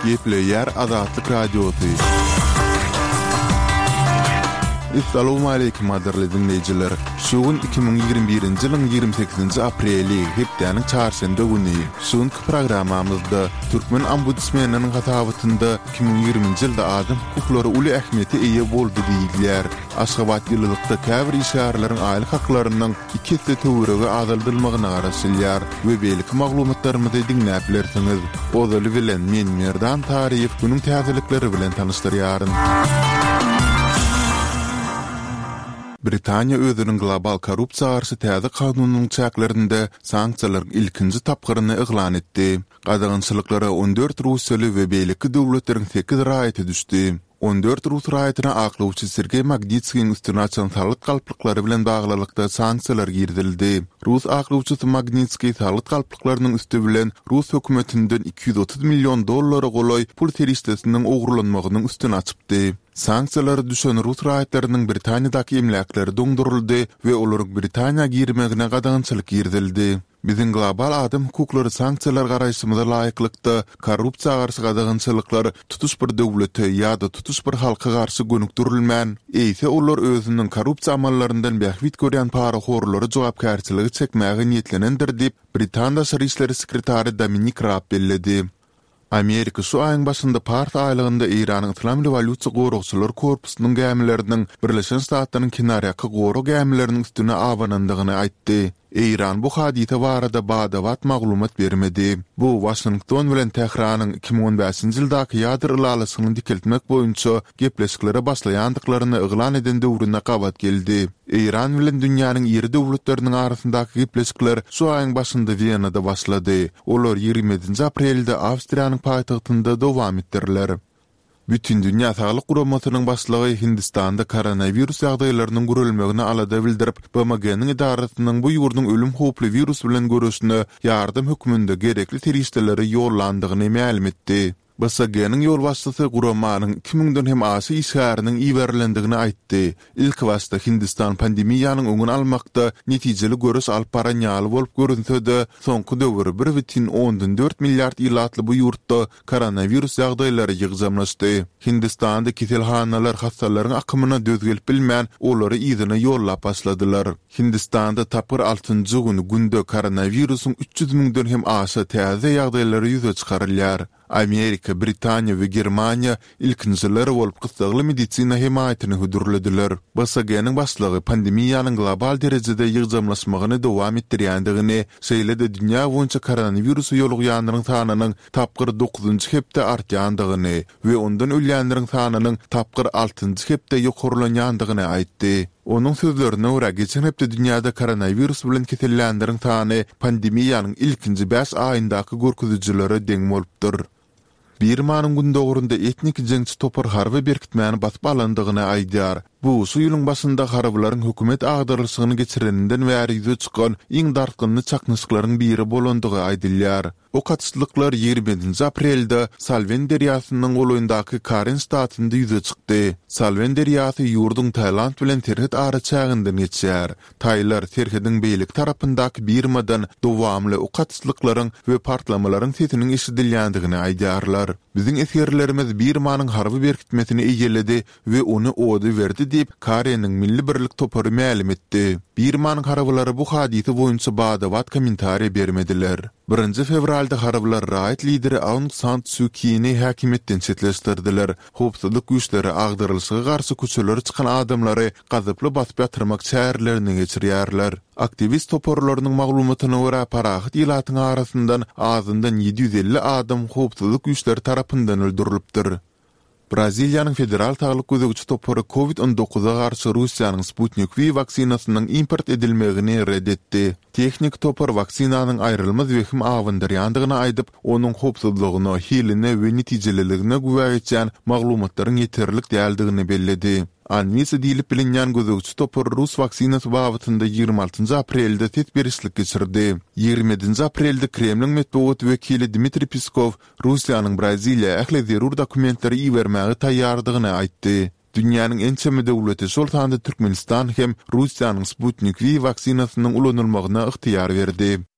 Gepleýär Azatlyk Radiosy. Essalawmaleýkim gadyrly diňleýjiler! Şu gün 2021-nji ýylyň 28-nji apreli, hepdäniň çarşenbe güni. Şu günki programmamyzda türkmen ombudsmeniniň hasabatynda 2020-nji ýylda adam hukuklary uly ähmiýete eýe boldy diýilýär. Aşgabat ýylylykda käbir işgärleriň aýlyk haklarynyň iki esse töweregi azaldylmagyna garaşylýar we beýleki maglumatlarymyzy diňläp bilersiňiz. Ozaly bilen men Merdan Taryýew günüň täzelikleri bilen tanyşdyrýaryn. Britaniýa özüniň global korrupsiýa garşy täze kanunynyň çäklerinde sanksiýalaryň ilkinji tapgyryny yglan etdi. Gadagançylyklara 14 russiýaly we beýleki döwletleriň sekiz raýaty düşdi. 14 rus raýatyna aklawçy Sergeý Magnitskiň üstüni açan salgyt galplyklary bilen baglylykda sanksiýalar girizildi. Rus aklawçysy Magnitskiý salgyt galplyklarynyň üsti bilen rus hökümetinden 230 million dollara golaý pul serişdesiniň ogurlanmagynyň üstüni açypdy. Sanksiýalara düşen rus raýatlarynyň Britaniýadaky emläkleri doňduryldy we olaryň Britaniýa girmegine gadagançylyk girizildi. Biziň global adam hukuklary sanksiýalar garaýşymyza laýyklykda, korrupsiýa garşy gadagançylyklar tutuş bir döwlete ýa-da tutuş bir halka garşy gönükdirilmän, eýse olar özüniň korrupsiýa amallaryndan bähbit görýän parahorlary jogapkärçilige çekmäge niýetlenendir diýip, britan daşary işleri sekretary Dominik Raab belledi. Amerika şu aýyň başynda Pars aýlagynda Eýranyň Yslam rewolýusiýa goragçylar korpusynyň gämileriniň Birleşen Ştatlaryň kenarýaka gorag gämileriniň üstüne abanandygyny aýtdy. Eýran bu hadysa barada bada-bat maglumat bermedi. Bu Waşington bilen Tähranyň 2015-nji ýyldaky ýadro ylalaşygyny dikeltmek boýunça gepleşiklere başlaýandyklaryny yglan eden döwrüne gabat geldi. Eýran bilen dünýäniň iri döwletleriniň arasyndaky gepleşikler şu aýyň başynda Wenada başlady. Olar 27-nji aprelde Awstriýanyň paýtagtynda dowam etdiriler. Bütindünýä Saglyk Guramasynyň başlygy Hindistanda koronawirus ýagdaýlarynyň gürelmegine alada bildirip, BMG-niň edarasynyň bu ýurduň ölüm howply wirus bilen göreşine ýardam hökmünde gerekli serişdeleri ýollandygyny mälim etdi. BSG-niň ýolbaşçysy guramanyň iki müňden hem aşa işgäriniň iberilendigini aýtdy. Ilkibaşda Hindistan pandemiýanyň öňüni almakda netijeli göreş alyp baran ýaly bolup görünse-de, soňky döwür bir bütin ondan dört milliard ilatly bu ýurtda koronawirus ýagdaýlary ýygjamlaşdy. Hindistanda keselhanalar hassalaryň akymyna döz gelip bilmän, olary yzyna ýollap başladylar. Hindistanda tapgyr altynjy gün günde koronawirusyň 300 müňden hem aşa täze ýagdaýlary ýüze çykarylýar. Amerika, Britaniýa we Germaniýa ilkinjiler bolup gyssagly medisina hemaýatyny hödürlediler. BSG-niň başlygy pandemiýanyň global derejede ýygjamlaşmagyny dowam etdirýändigini, şeýle-de dünýä boýunça koronawirusa ýolugýanlaryň sanynyň tapgyr dokuzynjy hepde artýandygyny we ondan ölýänleriň sanynyň tapgyr altynjy hepde ýokarlanýandygyny aýtdy. Onuň sözlerine görä, geçen hepde dünýäde koronawirus bilen kesellänleriň sany pandemiýanyň ilkinji bäş aýyndaky görkezijilere deň bolupdyr. Birmanyň gündogarynda etnik jeňçi topar harby berkitmäni basyp alandygyny aýdýar. Bu şu ýylyň başynda harbylaryň hökümet agdarylyşygyny geçireninden bäri ýüze çykan iň dartgynly çaknyşyklaryň biri bolandygy aýdylýar. Ok atyşlyklar 27-nji aprelde Salwen derýasynyň golaýyndaky Karen ştatynda ýüze çykdy. Salwen derýasy ýurduň Tailand bilen serhet araçäginden geçýär. Taýlar serhediň beýleki tarapyndaky Birmadan dowamly ok atyşlyklaryň we partlamalaryň sesiniň eşidilýändigini aýdýarlar. Biziň esgerlerimiz Birmanyň harby berkitmesini eýeledi we ony oda berdi diýip, Kareniň Milli birlik topary mälim etdi. Birmanyň harbylary bu hadysa boýunça bada-bat kommentariýa bermediler. Birinji fewralda harbylar raýat lideri Aung San Suu Kini häkimiýetden çetleşdirdiler. Howpsuzlyk güýçleri agdarylyşyga garşy köçelere çykan adamlary gazaply basyp ýatyrmak çärelerini geçirýärler. Aktiwist toparlarynyň maglumatyna görä, parahat ilatyň arasyndan azyndan 750 adam howpsuzlyk güýçleri tarapyndan öldürilipdir. Braziliýanyň Federal saglyk gözegçi topary Covid 19-a garşy Russiýanyň Sputnik V waksinasynyň import edilmegini ret etdi. Tehniki topar waksinanyň aýrylmaz wehim abandyrýandygyny aýdyp, onuň howpsuzlygyna, hiline we netijeliligine güwä geçýän maglumatlaryň ýeterlik däldigini belledi. Anvisa diýlip bilinýän gözegçi topar rus waksinasy babatynda 26-njy aprelde ses berişlik geçirdi. 27-nji aprelde Kremliň metbugat wekili Dmitriý Peskow Russiýanyň Braziliýa ähli zerur dokumentleri ibermäge taýýardygyny aýtdy. Dünýäniň ençeme döwleti, şol sanda Türkmenistan hem Russiýanyň Sputnik V waksinasynyň ulanylmagyna ygtyýar berdi.